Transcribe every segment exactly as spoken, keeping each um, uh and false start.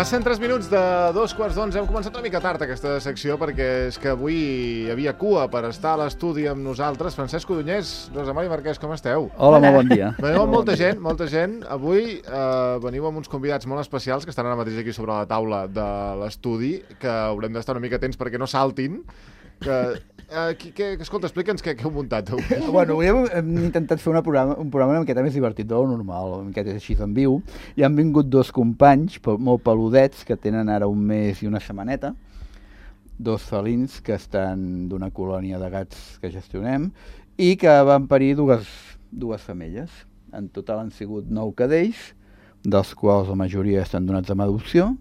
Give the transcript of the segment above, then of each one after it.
Passen tres minuts de dos quarts d'onze. Hem començat una mica tard aquesta secció perquè és que avui hi havia cua per estar a l'estudi amb nosaltres. Francesc Codonyés, Rosa Mari Marquès, com esteu? Hola, molt bon dia. Veniu amb molta gent, molta gent. Avui eh, veniu amb uns convidats molt especials que estan ara mateix aquí sobre la taula de l'estudi, que haurem d'estar una mica atents perquè no saltin. Que, eh, que, que, escolta, explica'ns què, què heu muntat avui. Bueno, avui hem, hem intentat fer una programa, un programa una miqueta més divertit de lo normal, una miqueta així en viu, i han vingut dos companys pe- molt peludets que tenen ara un mes i una setmaneta, dos felins que estan d'una colònia de gats que gestionem i que van parir dues, dues femelles. En total han sigut nou cadells, dels quals la majoria estan donats amb adopció,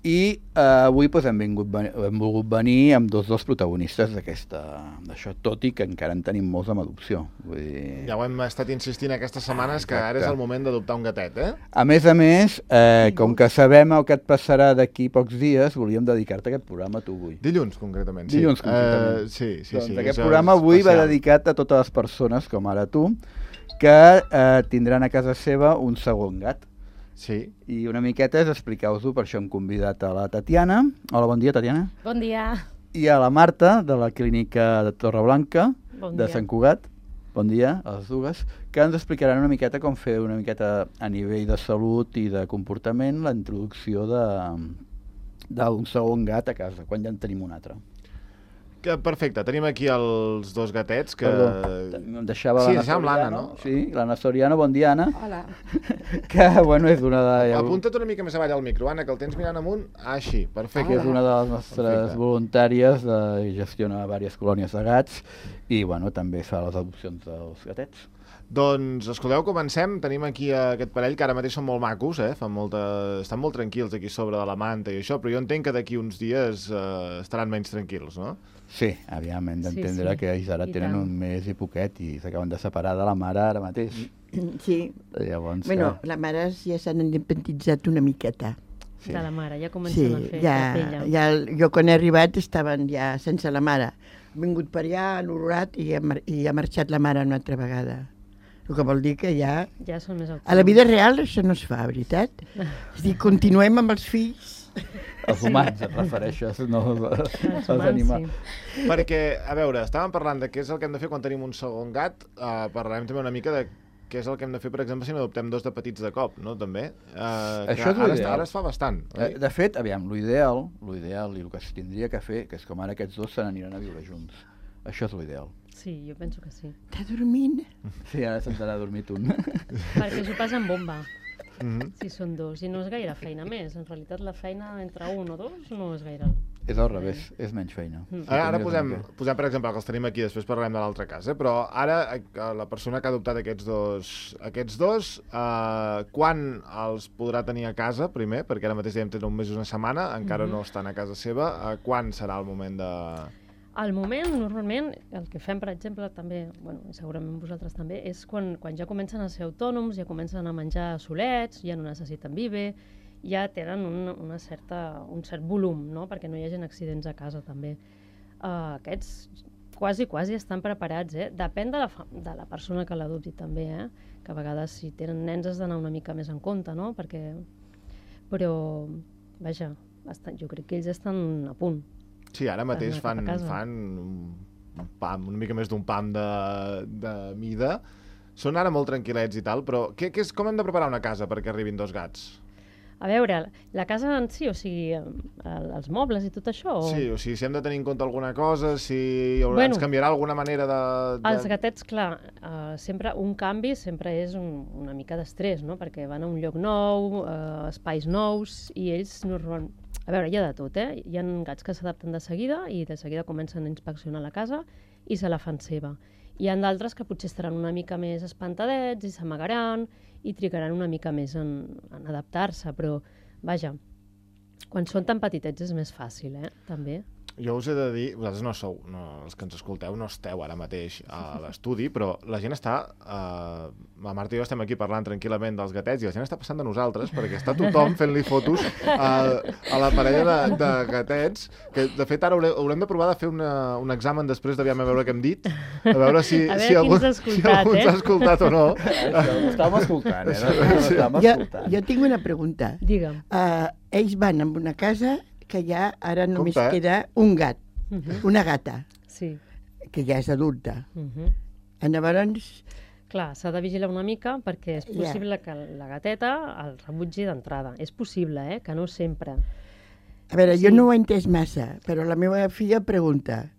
i eh, avui pues, hem, vingut, hem volgut venir amb dos dels protagonistes d'aquesta, d'això, tot i que encara en tenim molts amb adopció. Vull dir... Ja ho hem estat insistint aquestes setmanes, ah, que ara és el moment d'adoptar un gatet, eh? A més a més, eh, com que sabem el que et passarà d'aquí pocs dies, volíem dedicar-te aquest programa a tu avui. Dilluns, concretament. Sí. Dilluns, concretament. Uh, sí, sí, doncs sí. Aquest programa avui especial. va dedicat a totes les persones, com ara tu, que eh, tindran a casa seva un segon gat. Sí. I una miqueta és explicar-vos-ho, per això hem convidat a la Tatiana. Hola, bon dia, Tatiana. Bon dia. I a la Marta, de la clínica de Torreblanca, Bon de dia. Sant Cugat. Bon dia a les dues, que ens explicaran una miqueta com fer una miqueta a nivell de salut i de comportament la introducció de d'un segon gat a casa, quan ja en tenim un altre. Que, perfecte, tenim aquí els dos gatets que... Perdó, em deixava Sí, l'Anna deixàvem l'Anna, Soriano. no? Sí, l'Anna Soriano, bon dia, Anna. Hola. Que, bueno, és una de... Apunta't una mica més avall al micro, Anna, que el tens mirant amunt. Ah, així, perfecte. que és una de les nostres Perfecte. voluntàries, de, gestiona diverses colònies de gats i, bueno, també fa les adopcions dels gatets. Doncs, escolteu, comencem. Tenim aquí aquest parell que ara mateix són molt macos, eh? Fan molta... estan molt tranquils aquí sobre de la manta i això, però jo entenc que d'aquí uns dies eh, estaran menys tranquils, no? Sí, aviam, hem d'entendre Sí, sí. que ells ara I tenen tant. un mes i poquet i s'acaben de separar de la mare ara mateix. Sí, Llavors, bueno, que... les mares ja s'han independitzat una miqueta. Sí. De la mare, ja Sí, comencen a fer ja, la pella. ja, jo quan he arribat estaven ja sense la mare. Han vingut per allà, han olorat i ha, mar- i ha marxat la mare una altra vegada. El que vol dir que ja... Ja són més A la vida real això no es fa, veritat? És a dir, continuem amb els fills. Els humans, et refereixes, no els, Els els animals. sí. Perquè, a veure, estàvem parlant de què és el que hem de fer quan tenim un segon gat. Uh, parlarem també una mica de què és el que hem de fer, per exemple, si n'adoptem dos de petits de cop, no? També. Uh, Això és ara, l'ideal. ara es fa bastant, Eh, oi? De fet, aviam, l'ideal, l'ideal i el que es tindria que fer, que és com ara aquests dos se n'aniran a viure junts. Això és l'ideal. Sí, jo penso que sí. Està dormint? Sí, ara se'n t'anà a dormir tu. Perquè s'ho passen bomba, Mhm. si són dos. I no és gaire feina més. En realitat, la feina entre un o dos no és gaire. És al revés, és menys feina. Mm. Si Ara, ara tu mires posem, una mica. posem, per exemple, que els tenim aquí, després parlarem de l'altre cas, eh? Però ara eh, la persona que ha adoptat aquests dos, aquests dos eh, quan els podrà tenir a casa, primer, perquè ara mateix dèiem tenen un mes i una setmana, encara Mhm. no estan a casa seva, eh, quan serà el moment de... Al moment, normalment, el que fem, per exemple, també, bueno, i segurament vosaltres també, és quan, quan ja comencen a ser autònoms, ja comencen a menjar solets, ja no necessiten viver, ja tenen un, una certa, un cert volum, no?, perquè no hi hagin accidents a casa, també. Uh, aquests quasi, quasi estan preparats, eh? Depèn de la, fa- de la persona que l'adopti, també, eh? Que a vegades, si tenen nens, has d'anar una mica més en compte, no?, perquè... Però, vaja, estan, jo crec que ells estan a punt. Sí, ara mateix anar cap fan, a casa. fan un pam, una mica més d'un pam de, de mida. Són ara molt tranquil·lets i tal, però què, què és, com hem de preparar una casa perquè arribin dos gats? A veure, la casa en si, o sigui, el, els mobles i tot això? O... Sí, o sigui, si hem de tenir en compte alguna cosa, si hi haurà, Bueno, ens canviarà alguna manera de... de... Els gatets, clar, uh, sempre un canvi sempre és un, una mica d'estrès, no?, perquè van a un lloc nou, uh, espais nous, i ells normalment... A veure, hi ha de tot, eh? Hi ha gats que s'adapten de seguida i de seguida comencen a inspeccionar la casa i se la fan seva. Hi ha d'altres que potser estaran una mica més espantadets i s'amagaran i trigaran una mica més en, en adaptar-se, però, vaja, quan són tan petitets és més fàcil, eh?, també. Jo us he de dir, vosaltres no sou, no, els que ens escolteu no esteu ara mateix a l'estudi, però la gent està, eh, la Marta i jo estem aquí parlant tranquil·lament dels gatets i la gent està passant de nosaltres perquè està tothom fent-li fotos a, a la parella de, de gatets, que de fet ara haurem, haurem de provar de fer una, un examen després d'aviam a veure què hem dit, a veure si, a veure si, algú, si algú ens ha escoltat o no. Això ho estàvem escoltant, eh? No, no, estàvem Jo, escoltant. jo tinc una pregunta. Digue'm. Uh, ells van amb una casa que ja ara només Compte, eh? queda un gat, Uh -huh. una gata, Sí. que ja és adulta. Uh -huh. Llavors, Clar, s'ha de vigilar una mica perquè és Ja. possible que la gateta el rebutgi d'entrada. És possible, eh? Que no sempre. a veure, Sí. jo no ho he entès massa, però la meva filla pregunta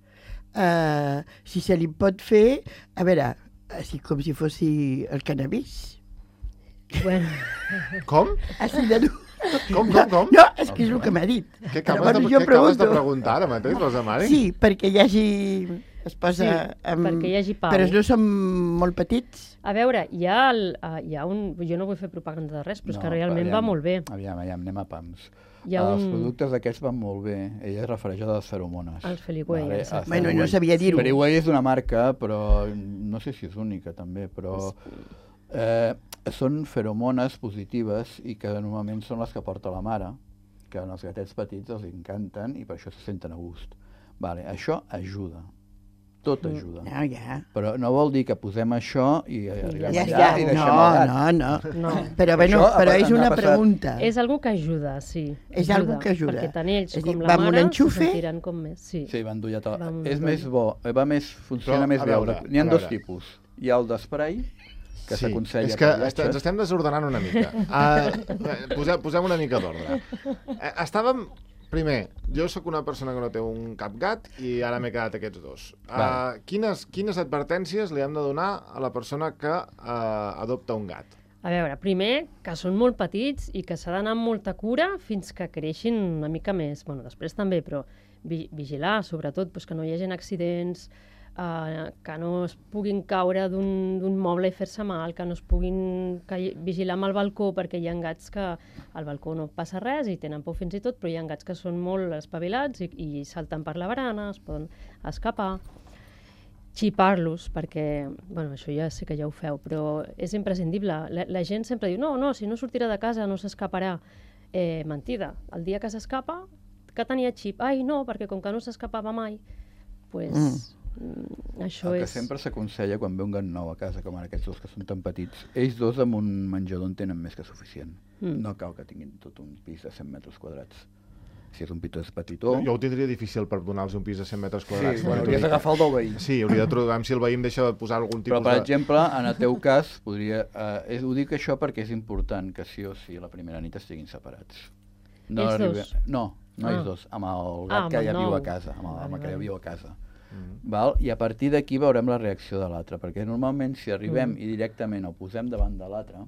uh, si se li pot fer, a veure, així com si fos el cannabis. Bueno, Com? Així de dur. Com, com, com? No, és que és el que m'ha dit. Què acabes, Llavors de, jo què acabes de pregunto. preguntar ara mateix, Rosa Mari? Sí, perquè hi hagi... Es posa... Sí, amb... perquè hi hagi pau. Però no som molt petits? a veure, hi ha, el, uh, hi ha un... Jo no vull fer propaganda de res, però és que realment aviam, va molt bé. Aviam, aviam, anem a pams. Hi ha Els un... productes aquests van molt bé. Ella es refereix a les feromones. Els Feliway, Vale, exacte. els Bueno, Feliway. no sabia dir-ho. Feliway és una marca, però no sé si és única també, però eh, són feromones positives i que normalment són les que porta la mare, que als gatets petits els encanten i per això se senten a gust. Vale, això ajuda. Tot ajuda. No, ja. Però no vol dir que posem això i arribem Ja allà està. i deixem No, el gat. no, no. No. Però, bueno, Això, però a- és ens ha una passat- pregunta. És algo que ajuda, sí. És algo que ajuda. Perquè tant ells És a dir, com va la amb un mare se enxufe? sentiran com més. Sí. Sí, va endollat a Va la... amb un És endoll. més bo, va més, funciona Però, més a bé. veure, N'hi ha a dos veure. tipus. Hi ha el d'esprai, que Sí, s'aconsella és que per est- ens viatges. estem desordenant una mica. Uh, posem, posem una mica d'ordre. Uh, estàvem... Primer, jo sóc una persona que no té un cap gat i ara m'he quedat aquests dos. Uh, Vale. quines, quines advertències li hem de donar a la persona que uh, adopta un gat? A veure, primer, que són molt petits i que s'ha d'anar amb molta cura fins que creixin una mica més. Bueno, després també, però vi vigilar, sobretot, doncs, que no hi hagi accidents, eh, que no es puguin caure d'un d'un moble i fer-se mal, que no es puguin que, vigilar amb el balcó, perquè hi ha gats que al balcó no passa res i tenen por fins i tot, però hi ha gats que són molt espavilats i, i salten per la barana, es poden escapar. Xipar-los, perquè, bueno, això ja sé que ja ho feu, però és imprescindible. La, la gent sempre diu, no, no, si no sortirà de casa no s'escaparà. Eh, mentida. El dia que s'escapa, que tenia xip. Ai, no, perquè com que no s'escapava mai, pues, mm. això El que és... sempre s'aconsella quan ve un gat nou a casa, com ara aquests dos que són tan petits, ells dos amb un menjador en tenen més que suficient. Mm. No cal que tinguin tot un pis de cent metres quadrats. Si és un pit petitó... Jo ho tindria difícil per donar-los un pis de cent metres Sí, quadrats. bueno, també t'ho hauries dic. d'agafar el del veí. Sí, hauria de trobar si el veí em deixa posar algun tipus Però, per de... exemple, en el teu cas, podria... Eh, és, ho dic això perquè és important que sí o sí la primera nit estiguin separats. No Ells arribe- dos? No, no Ah. ells dos, amb el gat Ah, amb que el ja viu nou. a casa, amb el, amb el Vale, que ja vale. viu a casa. Mm. Val? I a partir d'aquí veurem la reacció de l'altre, perquè normalment si arribem Mm. i directament el posem davant de l'altre,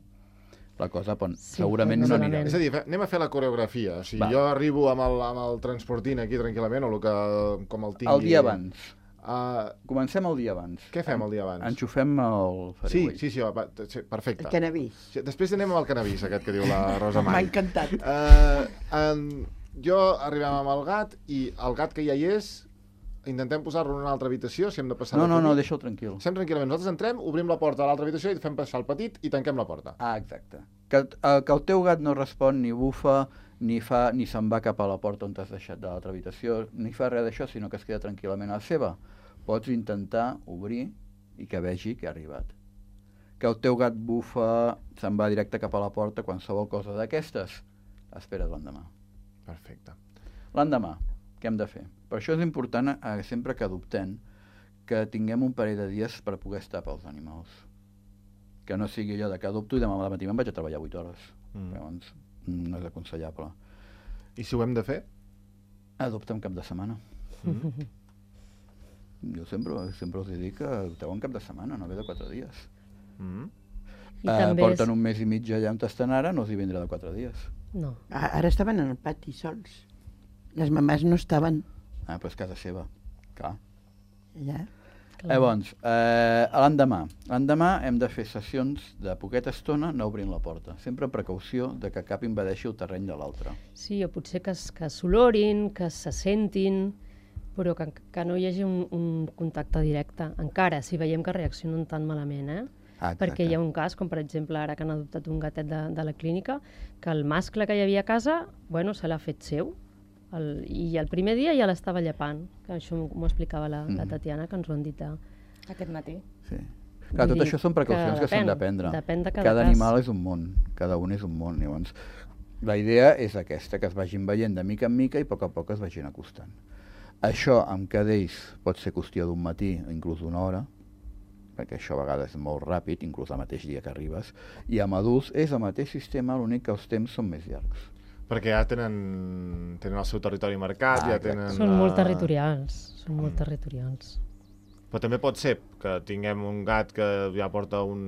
la cosa pon, Sí, segurament pot no ser anirà. malament. És a dir, fe- anem a fer la coreografia. O sigui, Va. jo arribo amb el, amb el transportint aquí tranquil·lament, o el que, com el tingui... El dia abans. Uh, Comencem el dia abans. què fem el dia abans? Enxufem el Sí, Fariway. sí, sí, va, sí, perfecte. El cannabis. Sí, després anem amb el cannabis, aquest que diu la Rosa M'ha Mari. encantat. Uh, um, jo arribem amb el gat i el gat que ja hi és, intentem posar-lo en una altra habitació, si hem de passar... No, de no, no, petit. deixa'l tranquil. Sem tranquil·lament. Nosaltres entrem, obrim la porta de l'altra habitació i fem passar el petit i tanquem la porta. Ah, exacte. Que, eh, que el teu gat no respon ni bufa, ni fa ni se'n va cap a la porta on t'has deixat de l'altra habitació, ni fa res d'això, sinó que es queda tranquil·lament a la seva. Pots intentar obrir i que vegi que ha arribat. Que el teu gat bufa, se'n va directe cap a la porta, qualsevol cosa d'aquestes, espera't l'endemà. Perfecte. L'endemà, què hem de fer? Per això és important, eh, sempre que adoptem, que tinguem un parell de dies per poder estar pels animals. Que no sigui allò de que adopto i demà al matí me'n vaig a treballar vuit hores. Mm. Llavors, no és aconsellable. I si ho hem de fer? Adopta un cap de setmana. Mm. Jo sempre, sempre els dic que adopteu un cap de setmana, no ve de quatre dies. Mm. I Eh, també porten és... un mes i mig allà on estan ara, no els hi vindrà de quatre dies. No. A- Ara estaven en el pati sols. Les mamàs no estaven Ah, però és casa seva, clar. allà. Clar. Llavors, eh, l'endemà. L'endemà hem de fer sessions de poqueta estona no obrint la porta. Sempre amb precaució de que cap invadeixi el terreny de l'altre. Sí, o potser que, es- que s'olorin, que se sentin, però que, que no hi hagi un, un contacte directe, encara, si veiem que reaccionen tan malament, eh? Ah, Perquè hi ha un cas, com per exemple ara que han adoptat un gatet de, de la clínica, que el mascle que hi havia a casa, bueno, se l'ha fet seu, el, i el primer dia ja l'estava llepant, que això m'ho explicava la, la Tatiana, que ens ho han dit de... Aquest matí. Sí. Clar, Vull tot dir això són precaucions que, que s'han depèn, de prendre. depèn de cada cada cas. animal és un món, cada un és un món. Llavors, la idea és aquesta, que es vagin veient de mica en mica i a poc a poc es vagin acostant. Això amb cadells pot ser qüestió d'un matí o inclús d'una hora, perquè això a vegades és molt ràpid, inclús el mateix dia que arribes, i amb adults és el mateix sistema, l'únic que els temps són més llargs. Perquè ja tenen, tenen el seu territori marcat, Ah, ja exacte. tenen... Són molt eh, territorials, són molt territorials. Però també pot ser que tinguem un gat que ja porta un...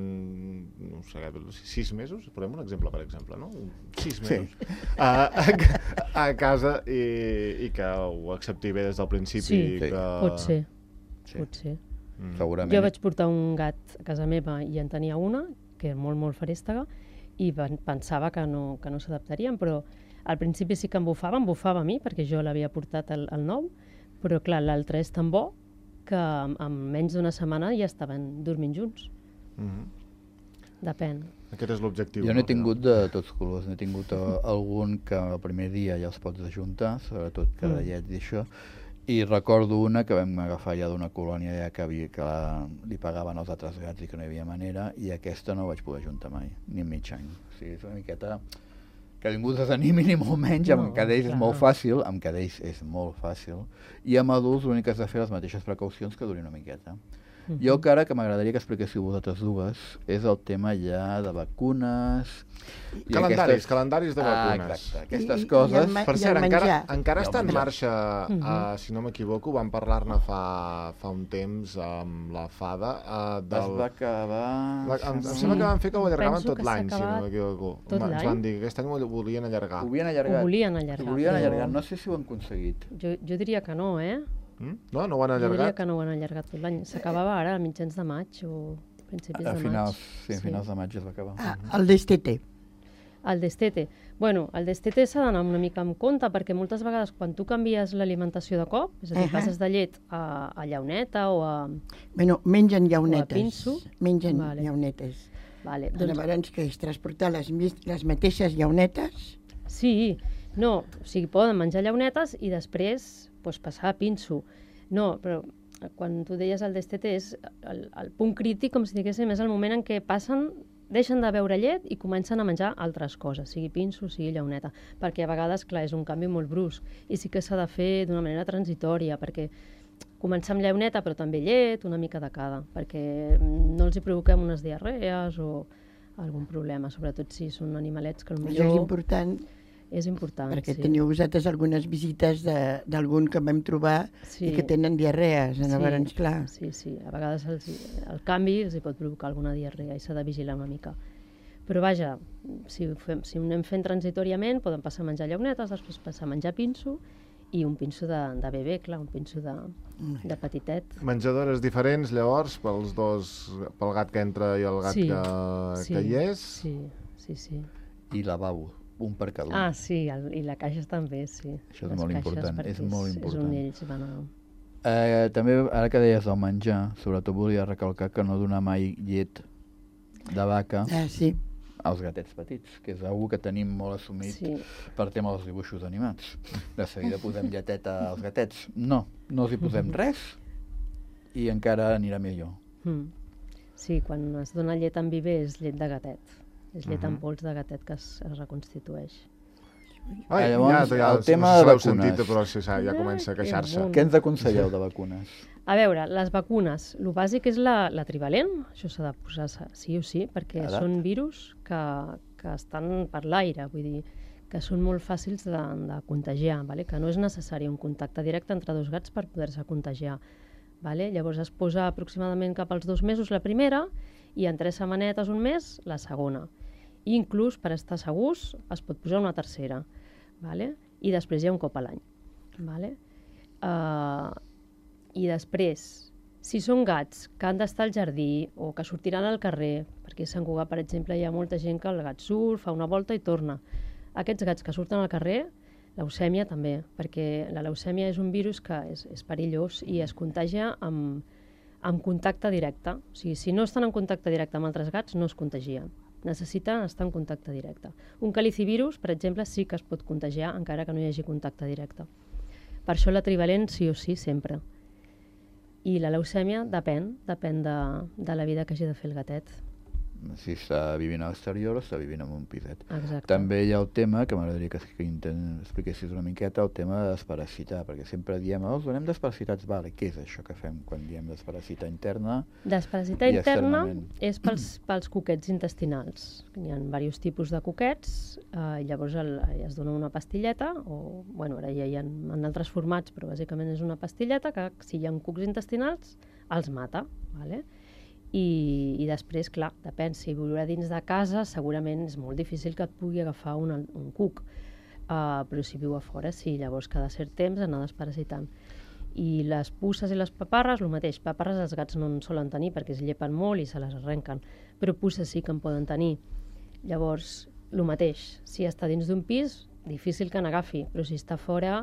no sé, sis mesos? Posem un exemple, per exemple, no? Un- Sis Sí. mesos. A, a, a casa i, i que ho accepti bé des del principi. Sí, i Sí. que... Pot ser, Sí. pot ser. Mm. Segurament. Jo vaig portar un gat a casa meva i en tenia una, que era molt, molt ferèstega, i pen- pensava que no, que no s'adaptarien, però al principi sí que em bufava, em bufava a mi, perquè jo l'havia portat al, al nou, però clar, l'altre és tan bo que en, en menys d'una setmana ja estaven dormint junts. Mhm. Depèn. Aquest és l'objectiu. Jo n'he no? tingut de tots colors, n'he tingut eh, algun que el primer dia ja els pots ajuntar, sobretot cadallets i això, i recordo una que vam agafar ja d'una colònia ja que, havia, que la, li pagaven els altres gats i que no hi havia manera, i aquesta no vaig poder ajuntar mai, ni en mig any. O sigui, és una miqueta que ningú desanimi ni molt menys, amb No, cadells és clar. molt fàcil, amb cadells és molt fàcil, i amb adults l'únic que has de fer les mateixes precaucions que durin una miqueta. Mhm. Jo encara que m'agradaria que expliquéssiu vosaltres dues és el tema ja de vacunes... i Calendaris, calendaris de Ah, vacunes. exacte, aquestes I- i coses... el ma- Per I cert, el encara, menjar. encara I el està en menjar. marxa, Mhm. uh, si no m'equivoco, vam parlar-ne fa, fa un temps amb la Fada. Uh, Es del... va acabar... La, em, em Sí. sembla que van fer que ho allargaven Penso tot que s'ha l'any, si no acabat m'equivoco. tot Ens l'any. van dir que aquest any ho volien allargar. Ho havien allargat. Ho volien allargar, Ho volien però- allargar, no sé si ho han aconseguit. Jo, jo diria que no, eh? Mm? No, no ho han Jo diria allargat? que no ho han allargat tot l'any. S'acabava ara a mitjans de maig o principis A de finals, maig. sí, a finals de maig es va acabar. Ah, el destete. El destete. Bueno, el destete s'ha d'anar una mica amb compte, perquè moltes vegades quan tu canvies l'alimentació de cop, és a dir, Ahà. passes de llet a, a llauneta o a... Bueno, mengen llaunetes. pinso. Mengen Vale. llaunetes. Vale, Doncs... doncs, Llavors, que és transportar les, mis- les mateixes llaunetes. sí, no, o sigui, poden menjar llaunetes i després pues, passar a pinso. No, però quan tu deies el destete és el, el punt crític, com si diguéssim, és el moment en què passen, deixen de beure llet i comencen a menjar altres coses, sigui pinso, sigui llauneta, perquè a vegades, clar, és un canvi molt brusc i sí que s'ha de fer d'una manera transitòria, perquè començar amb llauneta però també llet, una mica de cada, perquè no els hi provoquem unes diarrees o algun problema, sobretot si són animalets que potser Això és important, és important, perquè sí. teniu vosaltres algunes visites de- d'algun que vam trobar Sí. i que tenen diarrees. Sí, Llavors, clar, Sí, sí, a vegades els, el canvi els hi pot provocar alguna diarrea i s'ha de vigilar una mica. Però vaja, si ho, fem, si ho anem fent transitoriament, poden passar a menjar llaunetes, després passar a menjar pinso i un pinso de, de bebè, clar, un pinso de, de petitet. Menjadores diferents, llavors, pels dos, pel gat que entra i el gat Sí, que, sí, que hi és. Sí, sí, sí. I lavabo, un per cada un. Ah, sí, el, i la caixa també, sí. Això és Les molt caixes, important, perquè és molt És important. on ells van a... Eh, també, ara que deies del menjar, sobretot volia recalcar que no donar mai llet de vaca ah, sí. als gatets petits, que és una que tenim molt assumit Sí. per tema dels dibuixos animats. De seguida posem lleteta als gatets. No, no els hi posem res i encara anirà millor. Mm. Sí, quan es dona llet en viver és llet de gatet. És llet en Mhm. pols de gatet que es, es reconstitueix. Ai, Llavors, ja, ja, el tema no sé si de l'heu vacunes. sentit, però sí, ja, ja comença a Ai, que queixar-se. bon. Què ens aconselleu de vacunes? A veure, les vacunes, el bàsic és la, la trivalent, això s'ha de posar sa- sí o sí, perquè Ara. són virus que, que estan per l'aire, vull dir, que són molt fàcils de, de contagiar, vale? Que no és necessari un contacte directe entre dos gats per poder-se contagiar. Vale? Llavors es posa aproximadament cap als dos mesos la primera i en tres setmanetes, un mes, la segona. I inclús, per estar segurs, es pot posar una tercera. Vale? I després hi ha un cop a l'any. Vale? Uh, I després, si són gats que han d'estar al jardí o que sortiran al carrer, perquè a Sant Cugat, per exemple, hi ha molta gent que el gat surt, fa una volta i torna. Aquests gats que surten al carrer Leucèmia també, perquè la leucèmia és un virus que és, és perillós i es contagia amb, amb contacte directe. O sigui, si no estan en contacte directe amb altres gats, no es contagia. Necessiten estar en contacte directe. Un calicivirus, per exemple, sí que es pot contagiar encara que no hi hagi contacte directe. Per això la trivalent sí o sí sempre. I la leucèmia depèn, depèn de, de la vida que hagi de fer el gatet. Si està vivint a l'exterior o està vivint en un piset. Exacte. També hi ha el tema, que m'agradaria que, que expliquessis una miqueta, el tema de desparasitar, perquè sempre diem, oh, donem desparasitats, vale, què és això que fem quan diem desparasitar interna? Desparasitar i interna externament? és pels, pels coquets intestinals. Hi ha diversos tipus de coquets, eh, i llavors el, es dona una pastilleta, o bueno, ara ja hi ha en altres formats, però bàsicament és una pastilleta que si hi ha cucs intestinals els mata, vale? I, i després, clar, depèn, si viurà dins de casa, segurament és molt difícil que et pugui agafar un, un cuc, uh, però si viu a fora, sí, llavors cada cert temps anar desparasitant. I les puces i les paparres, el mateix, paparres els gats no en solen tenir perquè es llepen molt i se les arrenquen, però puces sí que en poden tenir. Llavors, el mateix, si està dins d'un pis, difícil que n'agafi, però si està fora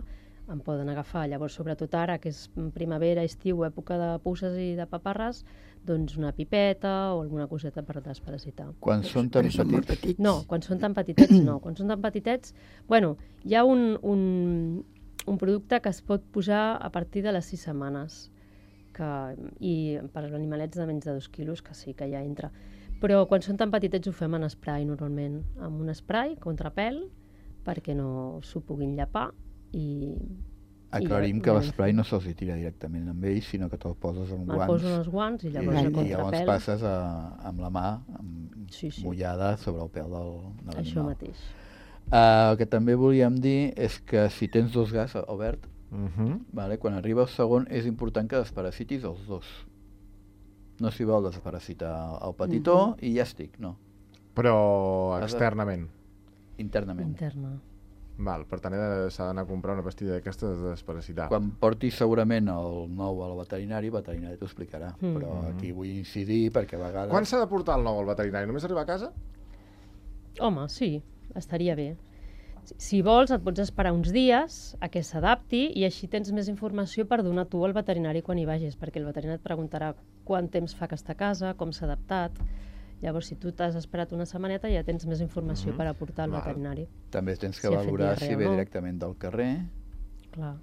en poden agafar. Llavors, sobretot ara, que és primavera, estiu, època de puces i de paparres, doncs una pipeta o alguna coseta per desparasitar. Quan són tan Però són molt petits? petits. No, quan són tan petitets no. Quan són tan petitets, bueno, hi ha un, un, un producte que es pot posar a partir de les sis setmanes, que, i per als animalets de menys de dos quilos, que sí que ja entra. Però quan són tan petitets ho fem en spray normalment, amb un spray contra pèl, perquè no s'ho puguin llepar i... Aclarim i que ja- l'esprai no se'ls hi tira directament amb ells, sinó que te'l poses amb Me'l guants poso en els guants i llavors i, a i llavors contrapèl. passes a, amb la mà amb, Sí, sí. mullada sobre el pèl del, de l'animal. Això mateix. Uh, el que també volíem dir és que si tens dos gats, Albert, Uh -huh. vale, quan arriba el segon és important que desparasitis els dos. No s'hi vol desparasitar el petitó i ja estic, no, Però Has de- externament. internament. Interna. Val, per tant he de- s'ha d'anar a comprar una pastilla d'aquestes de desparasitar. Quan portis segurament el nou al veterinari, el veterinari t'ho explicarà, Mm. però aquí vull incidir perquè a vegades... Quan s'ha de portar el nou al veterinari? Només arribar a casa? Home, sí, estaria bé. Si, si vols, et pots esperar uns dies a que s'adapti i així tens més informació per donar tu al veterinari quan hi vagis, perquè el veterinari et preguntarà quant temps fa que està a casa, com s'ha adaptat. Llavors, si tu t'has esperat una setmaneta, ja tens més informació Mhm. per aportar al Val. veterinari. També tens que Si ha fet valorar diarrea si o ve no. directament del carrer Clar.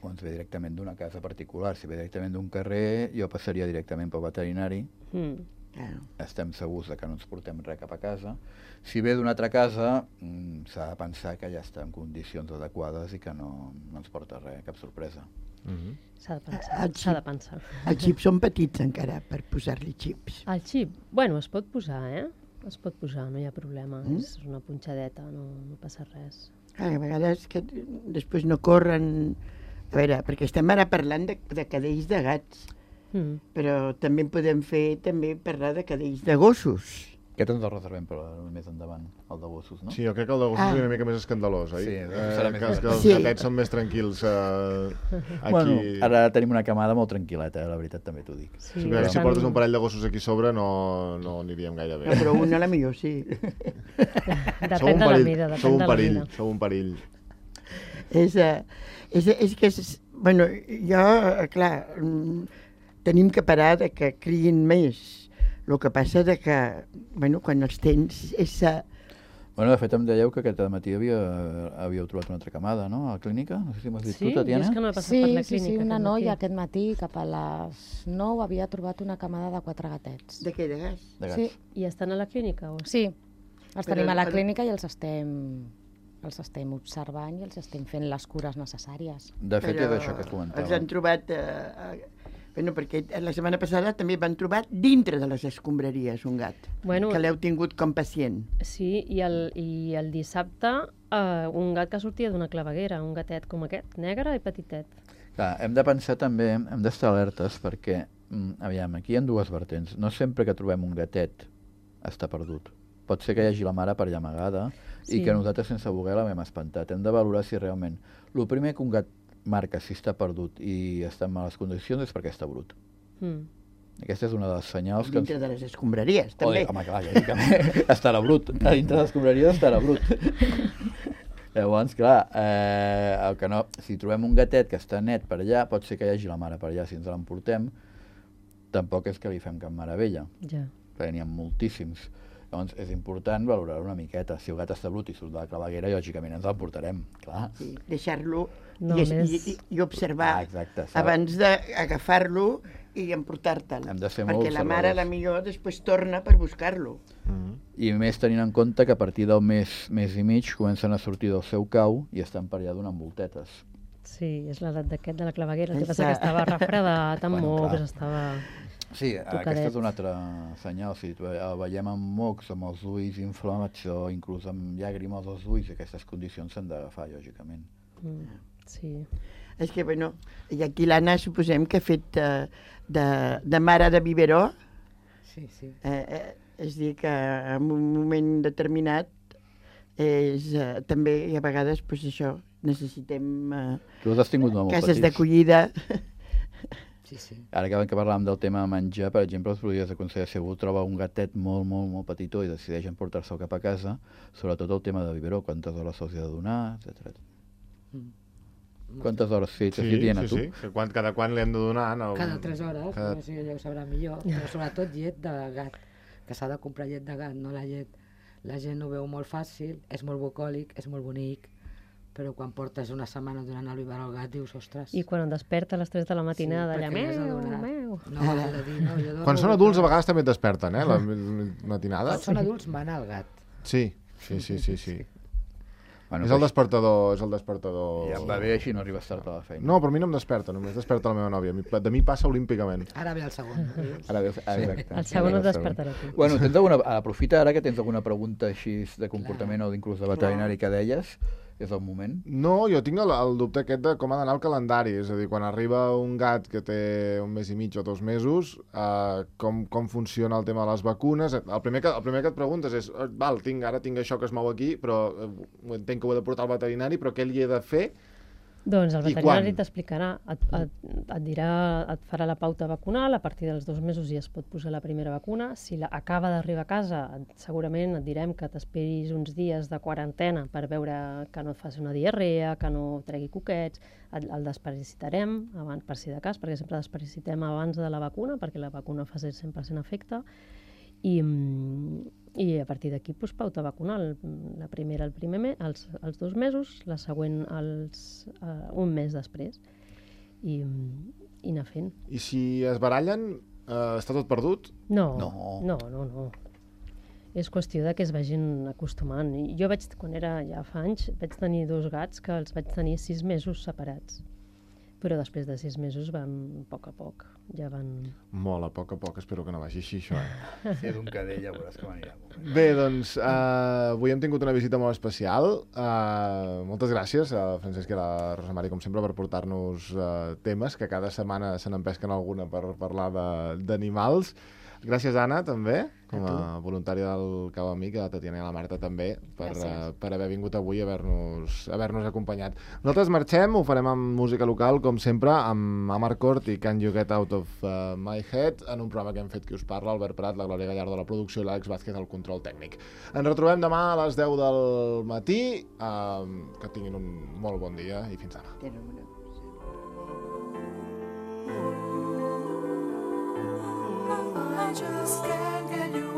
o ens ve directament d'una casa particular. Si ve directament d'un carrer, jo passaria directament pel veterinari. Mm. Claro. Estem segurs de que no ens portem res cap a casa. Si ve d'una altra casa, mm, s'ha de pensar que ja està en condicions adequades i que no, no ens porta res, cap sorpresa. Uh -huh. S'ha de Ah, pensar. el S'ha de xip. pensar. Els xips són petits encara per posar-li xips. El xip, bueno, es pot posar, eh? Es pot posar, no hi ha problema. Mm. És una punxadeta, no, no passa res. Clar, a vegades que després no corren... A veure, perquè estem ara parlant de, de cadells de gats, Mm. però també en podem fer també parlar de cadells de gossos. Aquest ens el reservem per més endavant, el de gossos, no? Sí, jo crec que el de gossos Ah. és una mica més escandalós, oi? Sí, eh, serà més que, els- que divertit. els Sí. gatets són més tranquils eh, aquí. Bueno, ara tenim una camada molt tranquil·leta, eh, la veritat també t'ho dic. Sí, Sí, perquè si estan- portes un parell de gossos aquí sobre no, no aniríem gaire bé. No, però un a la millor sí. Sou Depèn un de la perill, mida, sou depèn un de la perill, mida. sou un perill. És, eh, és, és que, és, bueno, jo, eh, clar, mm, tenim que parar de que criïn més. El que passa de que, bueno, quan els tens és... eh, Bueno, de fet em dèieu que aquest matí havia, havíeu trobat una altra camada, no?, a la clínica? No sé si m'has dit Sí, tu, jo Tatiana? és que no he passat Sí, per la sí, clínica. sí, una aquest noia matí. aquest matí, cap a les nou, havia trobat una camada de quatre gatets. De què, de gas? De gats. Sí, I estan a la clínica? O... sí. Els Però tenim a la el- clínica i els estem, els estem observant i els estem fent les cures necessàries. De fet, Però és això que els comentava. han trobat... Eh, eh, bueno, perquè la setmana passada també van trobar dintre de les escombraries un gat, Bueno, que l'heu tingut com pacient. sí, i el, i el dissabte uh, un gat que sortia d'una claveguera, un gatet com aquest, negre i petitet. Clar, hem de pensar també, hem d'estar alertes perquè, mm, aviam, aquí hi ha dues vertents. No sempre que trobem un gatet està perdut. Pot ser que hi hagi la mare per allà amagada Sí. i que nosaltres sense voler l'hem espantat. Hem de valorar si realment... El primer que un gat marca si està perdut i està en males condicions és perquè està brut. Mm. Aquesta és una de les senyals que... Dintre de les escombraries, també. Oi, home, clar, lògicament, estarà brut. A dintre de les escombraries estarà brut. Llavors, clar, eh, el que no, si trobem un gatet que està net per allà, pot ser que hi hagi la mare per allà, si ens l'emportem, tampoc és que li fem cap meravella, Ja. perquè n'hi ha moltíssims. Llavors, és important valorar una miqueta. Si el gat està brut i surt de la claveguera, lògicament ens l'emportarem, clar. Sí, deixar-lo No, i, més- i, i observar Ah, exacte, s'ha- abans d'agafar-lo i emportar-te'l. Hem de ser molt Perquè la mare, observadors. la millor, després torna per buscar-lo. Mm. I més tenint en compte que a partir del mes, mes i mig comencen a sortir del seu cau i estan per allà donant voltetes. Sí, és l'edat d'aquest de la claveguera. El que passa Exacte. que estava refredat, amb Bueno, mocs, clar. estava... Sí, Tocadet. aquest és un altre senyal. Si el veiem amb mocs, amb els ulls inflamats o inclús amb llàgrimes als ulls, aquestes condicions s'han d'agafar, lògicament. Mm, sí. És que, bueno, i aquí l'Anna suposem que ha fet eh, de, de mare de biberó, Sí, sí. eh, eh, és dir, que en un moment determinat és, eh, també, i a vegades, pues, això, necessitem eh, Tu els has tingut molt, molt cases petits. d'acollida. Sí, sí. Ara que, que parlàvem del tema de menjar, per exemple, us podries aconsellar, si algú troba un gatet molt, molt, molt petitó i decideix emportar-se'l cap a casa, sobretot el tema de biberó, quantes hores se'ls ha de donar, etcètera. Quantes hores? Sí, t'has Sí, dit dient a sí, tu? sí. Que quan, cada quan li hem de donar... No, Cada tres hores, Cada- cada... si ella ho sabrà millor, però sobretot llet de gat, que s'ha de comprar llet de gat, no la llet. La gent ho veu molt fàcil, és molt bucòlic, és molt bonic, però quan portes una setmana donant el biberó al gat dius, ostres... I quan et desperta a les tres de la matinada, allà, perquè li has de meu, donar. meu... No, has de dir, no, jo dono Quan són el adults a gat. vegades també et desperten, eh? La matinada. Quan són adults mana el gat. Sí, sí, sí, sí, sí. Bueno, És el pues, despertador, és el despertador... ja em va bé, així no arribes tard a la feina. No, però a mi no em desperta, només desperta la meva nòvia. A mi- De mi passa olímpicament. Ara ve el segon. veus? Ara veus, ah, exacte. El segon Ara et el despertarà tu. Bueno, tens alguna, aprofita ara que tens alguna pregunta així de comportament o inclús de veterinari que deies, és el moment. No, jo tinc el, el dubte aquest de com ha d'anar el calendari. És a dir, quan arriba un gat que té un mes i mig o dos mesos, eh, com, com funciona el tema de les vacunes. El primer que, el primer que et preguntes és, eh, val, tinc, ara tinc això que es mou aquí, però eh, entenc que ho he de portar al veterinari, però què li he de fer? Doncs el I veterinari quan? t'explicarà, et, et, et dirà, et farà la pauta vacunal, a partir dels dos mesos ja es pot posar la primera vacuna. Si la, acaba d'arribar a casa, et- segurament et direm que t'esperis uns dies de quarantena per veure que no et faci una diarrea, que no tregui coquets, el, el desparasitarem abans, per si de cas, perquè sempre desparasitem abans de la vacuna, perquè la vacuna fa cent per cent efecte, i, mm, i a partir d'aquí doncs, pauta vacunal. La primera el primer mes, els, els dos mesos, la següent els, uh, un mes després. I, mm, i anar fent. I si es barallen, eh, està tot perdut? No, No. no, no, no. És qüestió de que es vagin acostumant. I jo vaig, quan era ja fa anys, vaig tenir dos gats que els vaig tenir sis mesos separats. Però després de sis mesos van, a poc a poc, ja van... Molt, a poc a poc, espero que no vagi així, això. Eh? Si és un cadell, ja veuràs com anirà. Bé, doncs, eh, avui hem tingut una visita molt especial. Eh, moltes gràcies a Francesc i a la Rosa Mari, com sempre, per portar-nos eh, temes, que cada setmana se n'empesquen alguna per parlar de- d'animals. Gràcies, Anna, també, com a voluntària del Cau Amic, a la Tatiana i a la Marta també, per, uh, per haver vingut avui i haver-nos haver-nos acompanyat. Nosaltres marxem, ho farem amb música local, com sempre, amb Amarcord i Can You Get Out of uh, My Head, en un programa que hem fet Qui us parla, Albert Prat, la Glòria Gallardo de la producció i l'Àlex Vázquez al control tècnic. Ens retrobem demà a les deu del matí, uh, que tinguin un molt bon dia i fins demà. Tenen una cosa. I just can't get you